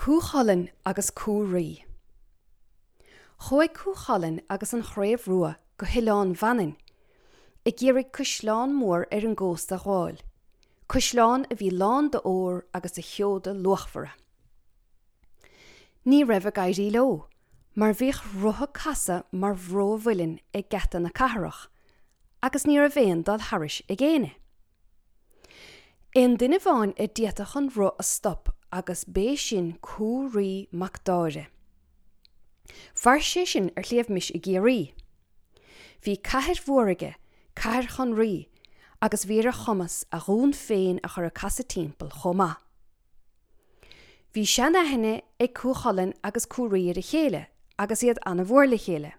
Cú Chulainn agus Cú Raoi. Chuaigh Cú Chulainn agus an Chraobh Rua go hOileán Mhanainn ag iarraidh caisleán mór ar an gcósta a ghabháil, caisleán a bhí lán d'ór agus de sheoda luachmhara. Ní raibh ag éirí leo, mar bhíodh rotha casadh mar bhró mhuilinn ag geata na cathrach agus ní raibh aon dul thairis ag éinne. Aon duine amháin a d'fhéadfadh an roth a stop agus b'é sin Cú Raoi mac Dáire. Mhair sé sin ar Shliabh Mis i gCiarraí. Bhí cathair mhór aige, Cathair Chon Raoi, agus bhí ar a chumas a dhún féin a chur ag casadh timpeall chomh maith. Bhí sean-aithne ag Cú Chulainn agus Cú Raoi ar a chéile agus iad ana-mhór le chéile.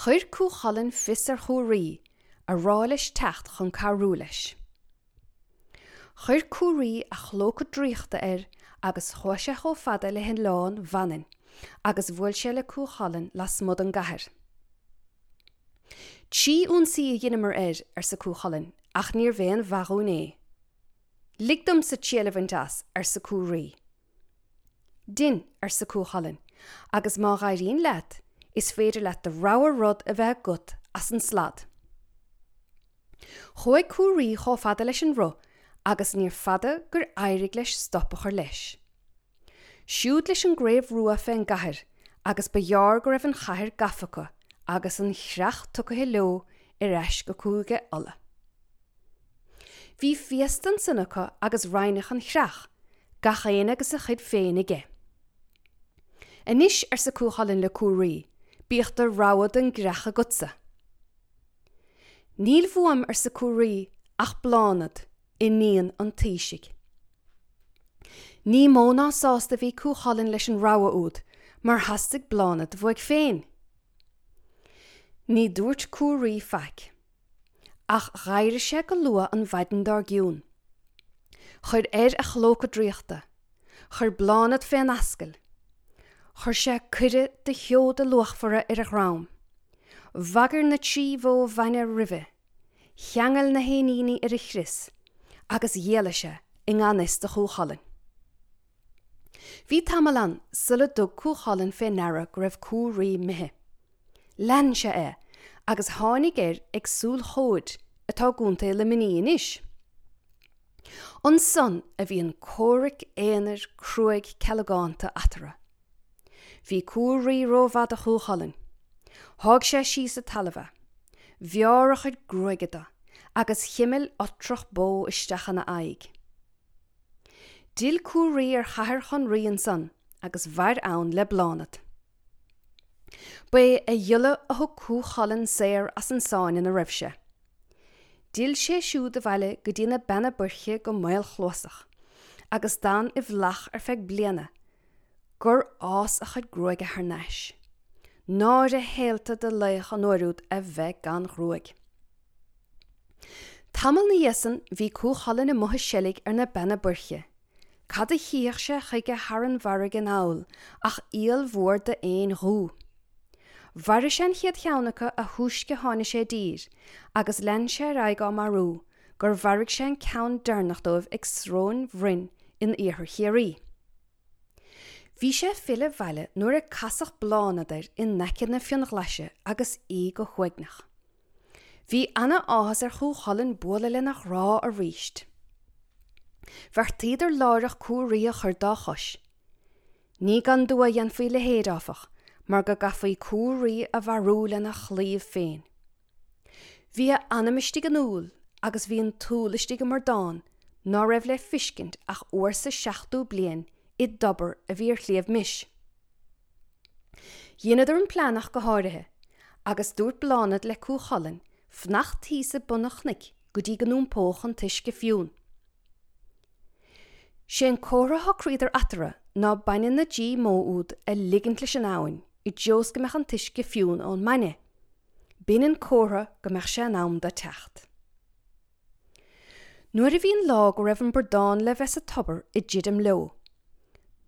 Chuir Cú Chulainn fios ar Chú Raoi, a rá leis teacht chun cabhrú leis. Chuir Cú Raoi a chlóca draíochta air agus chuaigh sé chomh fada le hOileán Mhanainn agus bhuail sé le Cú Chulainn lasmuigh den gcathair. Trí ionsaí a dheineamar air, arsa Cú Chulainn, ach níorbh aon mhaith dhúinn é. Lig domsa triail a bhaint as, arsa Cú Raoi. Dein, arsa Cú Chulainn, agus má dh'éiríonn leat, is féidir leat do rogha rud a bheith agat as an slad. Chuaigh Cú Raoi chomh fada leis an roth agus níor fada gur éirigh leis stop a chur leis. Siúd leis an gCraobh Rua fén gcathair agus ba ghearr go raibh an chathair gafa acu agus an chreach tugaithe leo ar ais go Cúige Uladh. Bhí féasta ansan acu agus roinneadh an chreach, gach éinne agus a chuid féin aige. Anois, arsa Cú Chulainn le Cú Raoi, bíodh do rogha den gcreach agatsa. Níl uaim, arsa Cú Raoi, ach Bláthnaid, iníon an taoisigh. Ní mó ná sásta a bhí Cú Chulainn leis an rogha úd, mar theastaigh Bláthnaid uaidh féin. Ní dúirt Cú Raoi faic. Ach dh'éirigh sé go luath an mhaidin dár gcionn. Chuir air a chlóca draíochta. Chuir Bláthnaid fén ascaill. Chuir sé coire de sheoda luachmhara ar a dhrom. Bhagair na trí bhó bhainne roimhe. Cheangail na héiníní ar a chrios agus d'éalaigh sé i ngan fhios do Chú Chulainn. Bhí tamall ann sula dtug Cú Chulainn fé ndeara go raibh Cú Raoi imithe. Lean sé é agus tháinig air ag Súil Chomhaid atá i gContae Luimnigh anois. Ansan a bhí an comhrac aonair cruaidh cealgánta eatarthu. Bhí Cú Raoi rómhaith do Chú Chulainn. Sháigh sé síos sa talamh é. Bhearr a chuid gruaige de agus chimil otrach bó isteach ina aghaidh. D'fhill Cú Raoi ar Chathair Chon Raoi ansan agus mhair ann le Bláthnaid. Ba é a ghiolla a thug Cú Chulainn saor as an sáinn ina raibh sé. D'fhill sé siúd abhaile go dtí na Beanna Boirche go maolchluasach, agus d'fhan i bhflach ar feadh bliana gur fhás a chuid gruaige thar n-ais. Náire shaolta do laoch an uair úd a bheith gan ghruaig. Tamall 'na dhiaidh san bhí Cú Chulainn amuigh ag seilg ar na Beanna Boirche. Cad a chífeadh sé chuige thar an bhfarraige anall ach iall mhór d'éin dhubha. Mharaigh sé an chéad cheann acu a thúisce tháinig sé i dtír, agus lean sé ar aghaidh á marú gur mharaigh sé an ceann deireanach dóibh ag Sróin Bhroin in iarthar Chiarraí. Bhí sé ag filleadh abhaile nuair a casadh Bláthnaid air in aice na Fionnaghlaise agus í go huaigneach. Bhí ana-áthas ar Chú Chulainn bualadh lena ghrá aríst. Bheartaíodar láithreach Cú Raoi a chur dá chois. Ní gan dua a dhéanfaí a leithéid, áfach, mar go gcaithfí Cú Raoi a mharú lena chlaíomh féin. Bhí a anam istigh in úll agus bhí an t-úll istigh i mbradán ná raibh le fiscint ach uair sa seachtú bliain i dtobar a bhí ar Shliabh Mis. Dheineadar an plean ach go háirithe, agus dúirt Bláthnaid le Cú Chulainn fanacht thíos ag bun an chnoic go dtí go n-iompódh an t-uisce fiúin. Sé an comhartha a shocraíodar eatarthu ná bainne na dtrí mbó úd a ligint leis an abhainn i dtreo is go mbeadh an t-uisce fiúin ón mbainne. B'in an comhartha go mbeadh sé in am dó teacht. Nuair a bhí an lá go raibh an bradán le bheith sa tobar ag druidim leo,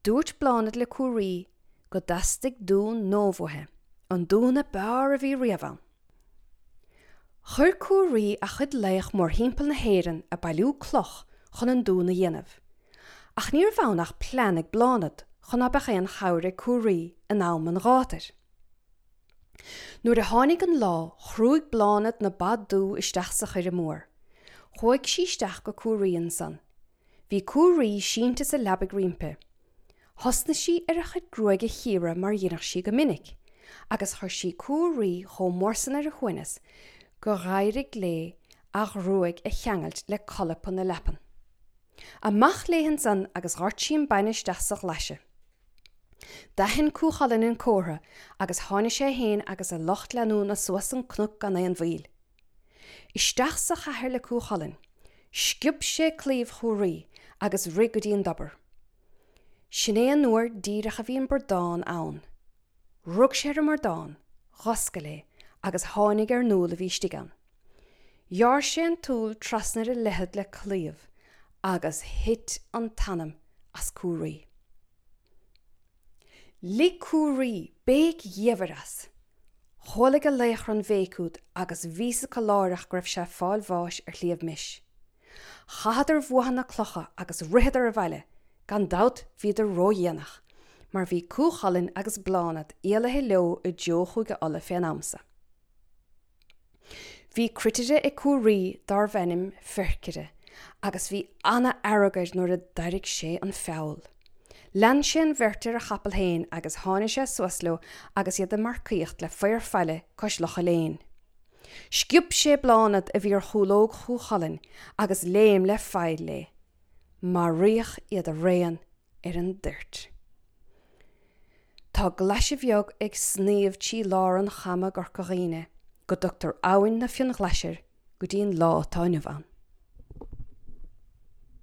dúirt Bláthnaid le Cú Raoi go dteastaigh dún nua uaithi, an dún a b'fhearr a bhí riamh ann. Chuir Cú Raoi a chuid laoch mórthimpeall na hÉireann ag bailiú cloch chun an dún a dhéanamh. Ach ní raibh ann ach plean ag Bláthnaid chun ná beadh aon chabhair ag Cú Raoi in am an ghátair. Nuair a tháinig an lá, chrúigh Bláthnaid na ba dubha isteach sa choire mór. Chuaigh sí isteach go Cú Raoi ansan. Bhí Cú Raoi sínte sa leabaidh roimpi. Thosnaigh sí ar a chuid gruaige a chíoradh mar dheineadh sí go minic, agus chuir sí Cú Raoi chomh mór san ar a shuaimhneas gur dh'éirigh léi a ghruaig a cheangailt le colpa na leapan. Amach léi ansan agus dhoirt sí an bainne isteach sa ghlaise. D'aithin Cú Chulainn an comhartha agus tháinig sé fhéin agus a lucht leanúna suas an cnoc gan aon mhoill. Isteach sa chathair le Cú Chulainn. Sciob sé claíomh Chú Raoi agus rith go dtí an dtobar. Sin é an uair díreach a bhí an bradán ann. Rug sé ar an mbradán, dh'oscail é agus tháinig ar an úll a bhí istigh ann. Ghearr sé an t-úll trasna ar a leithead le claíomh agus thit an t-anam as Cú Raoi. Lig Cú Raoi béic dhiamhair as. Chualaidh a laochra an bhéic úd agus bhí 's acu láithreach go raibh sé ag fáil bháis ar Shliabh Mis. Chaitheadar bhuatha na clocha agus ritheadar abhaile, gan dabht bhíodar ródhéanach, mar bhí Cú Chulainn agus Bláthnaid éalaithe leo i dtreo Chúige Uladh fén am so. Bhí cruitire ag Cú Raoi dárbh ainm Ferchire agus bhí ana-fhearg air nuair a d'airigh sé an feall. Lean sé an bheirt ar a chapall féin agus tháinig sé suas leo agus iad ag marcaíocht le féar faille cois Locha Léin. Sciob sé Bláthnaid a bhí ar chúlóg Chú Chulainn agus léim le faill léi. Maraíodh iad araon ar an dtoirt. Tá glaise bheag ag sníomh trí lár an chama i gCorca Dhuibhne go dtugtar Abhainn na Fionnghlaise air go dtí an lá atá inniu ann.